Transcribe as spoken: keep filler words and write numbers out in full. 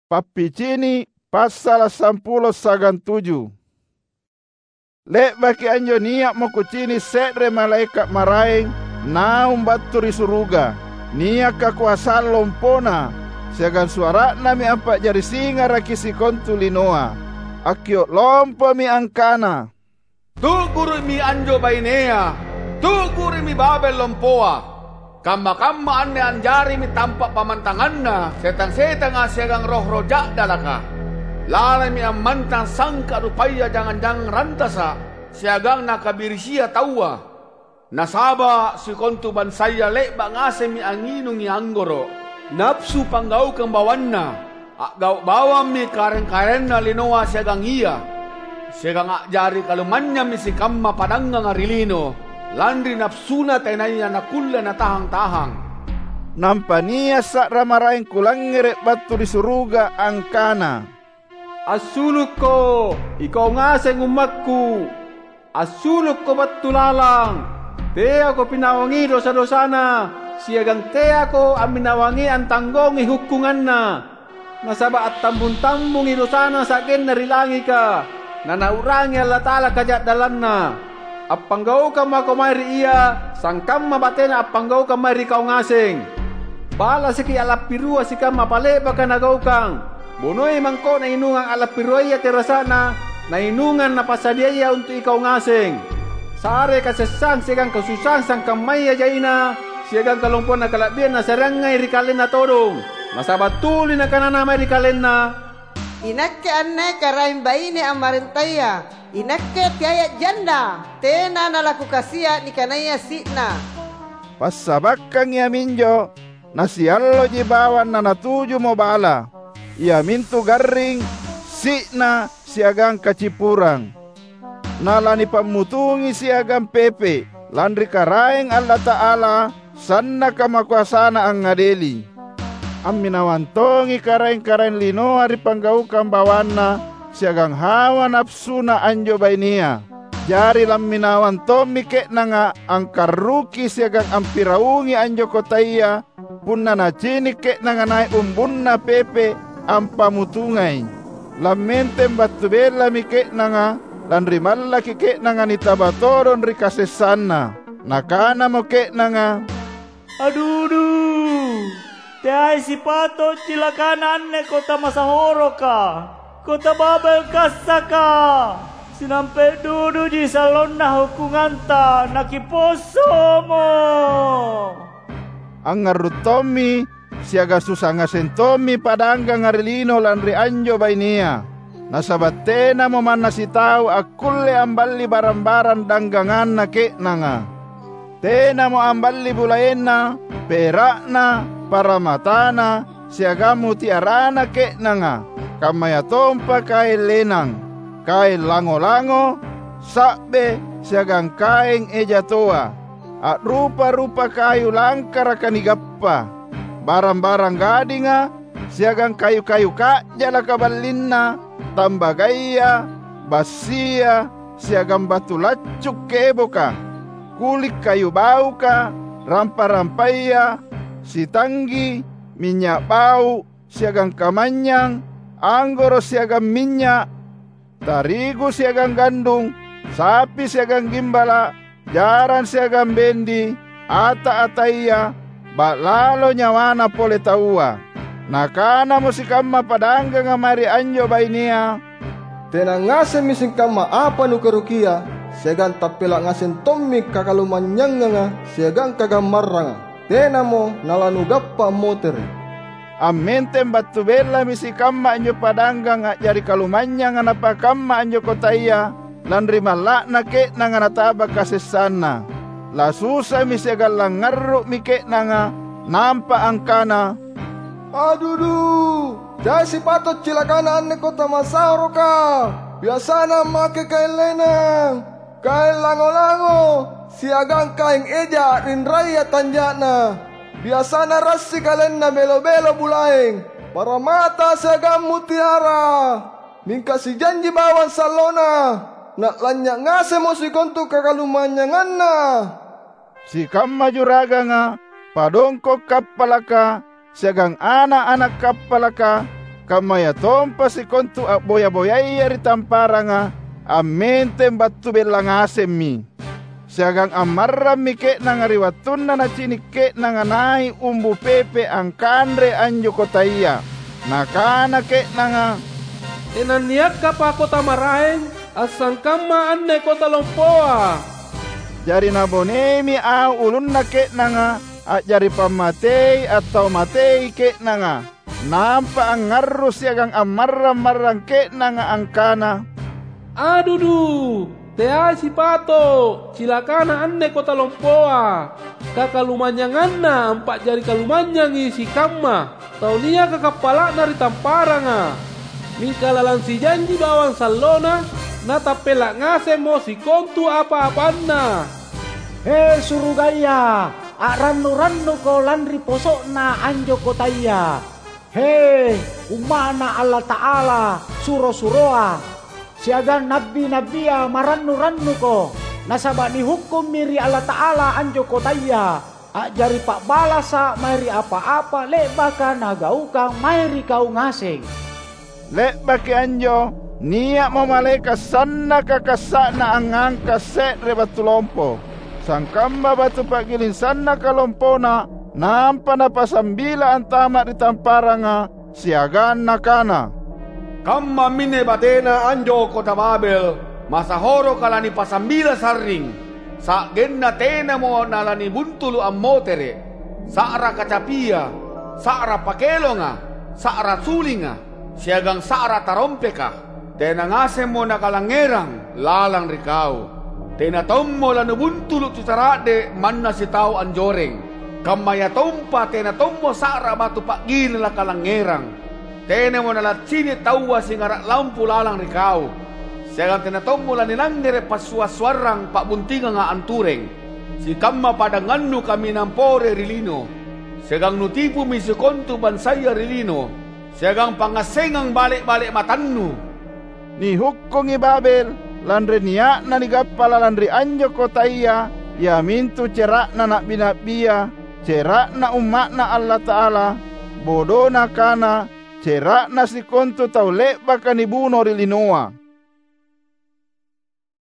Pappicini' passala' sampulo siagang tuju. Le'baki anjo nia'mo kucini' se're malaeka' maraeng naung battu ri suruga. Nia' kakoasang lompona, siagang suara'nami ampa'jari singaraki sikontu linoa. Akkio' lompomi angkana, "Tu'guru'mi anjo bainea! Tu'guru'mi Babel lompoa! Kamma-kamma anne anjarimi tampa' pammantanganna setang-setanga siagang roh-roh ja'dalaka. Lalemi ammantang sangka' rupaya jangang-jangang rantasa' siagang nakabirisia taua. Nasaba' sikontu bansaya le'ba' ngasemmi angnginungi anggoro', napsu panggaukang bawanna, a'gau' bawammi karaeng-karaenna linoa siagang ia, siagang a'jari kalumanynyammi sikamma padanganga ri lino, lanri napsuna tenaya nakkulle natahang-tahang." Nampa nia' sa'ra maraeng kulangngere' battu ri suruga angkana, "Assulukko, ikau ngaseng ummakku! Assulukko battu lalang! Teako pinawangi dosa-dosana, siagang teako amminawangi antanggongi hukkunganna. Nasaba' attambung-tambungi dosana sa'genna ri langika, naNau'rangi Allata'ala kaja'dallanna. Appanggaukang mako mae ri ia sangkamma batena appanggaukang mae ri kau ngaseng. Ba'lasiki a'lappirua sikamma pale'baka nagaukang. Bonoi mangko'na inungang a'lappiruaya terasa'na nainungang napassadiaya untu' ikau ngaseng. Sare kasessang siagang kasusaang sangkammaya jaina siagang kalompona kala'birang nasareangai ri kalenna todong. Nasaba' tuli nakanana mae ri kalenna, "Inakke anne karaeng baine ammarentaya, inakke teaya janda, tena nalakukasia' nikanaya si'na." Passabakkangi iaminjo, nasialloji bawang nanatujumo bala, iamintu garring, si'na, siagang kacippurang. Nalanipammutungi siagang pepe', lanri Karaeng Allata'ala, sannaka makoasaNa angngadeli. Amminawang tongi karaeng-karaeng linoa ri panggaukang bawanna siagang hawa napasuna anjo bainea. Jari lamminawang tommi ke'nanga angkarruki siagang ampiraungi anjo kotaya, punna nacini' ke'nanga nai' umbunna pepe' ampamutungai. Lammenteng battu bellami ke'nanga, lanri mallaki ke'nanga nitaba todong ri kasessanna. Nakanamo ke'nanga, "Adudu! Teai sipato' cilakana anne kota masahoroka, kota Babel kassaka! Sinampe' duduji sallonna hukunganta nakipossomo!" Angngarru' tommi siagang susa ngaseng tommi padangganga ri lino lanri anjo bainea, nasaba' tenamo manna sitau akkulle amballi barang-barang dangganganna ke'nanga. Tenamo amballi bulaenna, pera'na, paramatana, siagang mutiarana ke'nanga, kammayatompa kaeng lenang, kaeng lango-lango, sa'be, siagang kaeng eja toa. A'rupa-rupa kayu langkaraka nigappa, barang-barang gadinga, siagang kayu-kayu ka'jalaka ballinna, tambagaya, bassia, siagang batu laccu' keboka, kuli' kayu bauka, rampa-rampaya, sitanggi, minynya' bau', siagang kamanynyang, anggoro' siagang minynya', tarigu siagang gandung, sapi siagang gimbala', jarang siagang bendi, ata-ataya, ba'lalo nyawana pole taua. Nakanamo sikamma padangganga mae ri anjo bainea, "Tena ngasemmi sikamma apa nukarukia, siagang tappela' ngaseng tommi kakalumanynyanganga siagang kagammarranga. Tenamo nalanugappa ammotere'." Ammenteng battu bellami sikamma anjo padanggang a'jari kalumanynyanga napakamma anjo kotaya, lanri malla'na ke'nanga nataba kasessanna. Lasusami siagang langngarru'mi ke'nanga, nampa angkana, "Adudu! Teai sipato' cilakana anne kota masahoroka! Biasana ammake kaeng lenang, kaeng lango-lango, siagang kaeng eja a'rinraya tanja'na. Biasana rassi kalenna belo-belo bulaeng, paramata siagang mutiara. Mingka sijanji bawang sallona, na'lanynya' ngasemmo sikontu kakalumanynyanganna." Sikamma juraganga, padongko' kappalaka, siagang ana'-ana' kappalaka, kammayatompa sikontu a'boya-boyaya ri tamparanga ammenteng battu bella ngasemmi. Siagang ammarrammi ke'nanga ri wattunna nacini’ ke'nanga nai’ umbu pepe angkanre anjo kotaya. Nakana ke'nanga, "Tenanniakkapa kota maraeng assangkamma anne kota lompoa?" Jari naboneimi au ulunna ke'nanga a'jari pammatei attau matei ke'nanga. Nampa angngarru’ siagang ammarrang-marrang ke'nanga angkana, "Adudu, teai sipato’ cilakana anne kota lompoa! Kakalumanynyanganna ampa'jari kalumanynyangi sikamma tau niaka kappala'na ri tamparanga. Mingka lalang sijanji bawang sallona, natappela’ ngasemmo sikontu apa-apanna." He surugaya, a'rannu-rannuko lanri poso'na anjo kotaya! He, umma'Na Allata'ala, suro-suroa, siagang na'bi-na'bia, marannu-rannuko! Nasaba’ nihukkummi ri Allata'ala anjo kotaya, a'jari pa'balasa’ mae ri apa-apa le'baka nagaukang mae ri kau ngaseng. Le'baki anjo, nia'mo malaeka’ sannaka kassa'na angngangka’ se're batu lompo, sangkamma batu pa'giling sannaka lompona, nampa napasambila antama’ ri tamparanga, siagang nakana, "Kammaminne batena anjo kota Babel, masahoroka lanipasambila sarring, sa'genna tenamo nalanibuntulu’ ammotere’, sa'ra kacapia, sa'ra pakelonga, sa'ra sulinga, siagang sa'ra tarompeka. Tena ngasemmo nakalangngerang lalang ri kau. Tena tommo lanubuntulu’ tu cara'de’ manna sitau anjoreng, kammayatompa tena tommo sa'ra batu pa'giling lakalangngerang. Tenamo nalaccini’ taua singara’ lampu lalang ri kau, siagang tena tommo lanilangngere’ passua’-suarrang pa'buntinganga antureng. Sikamma padangannu kaminang pore ri lino, siagang nutipumi sikontu bansaya ri lino, siagang pangngassengang bale’-bale’ matannu." Nihukkungi Babel lanri nia'na nigappa lalang ri anjo kotaya, iamintu cera'na na'bi-na'bia, cera'na umma'Na Allata'ala, bodona kana, cera'na sikontu tau le'baka nibuno ri linoa.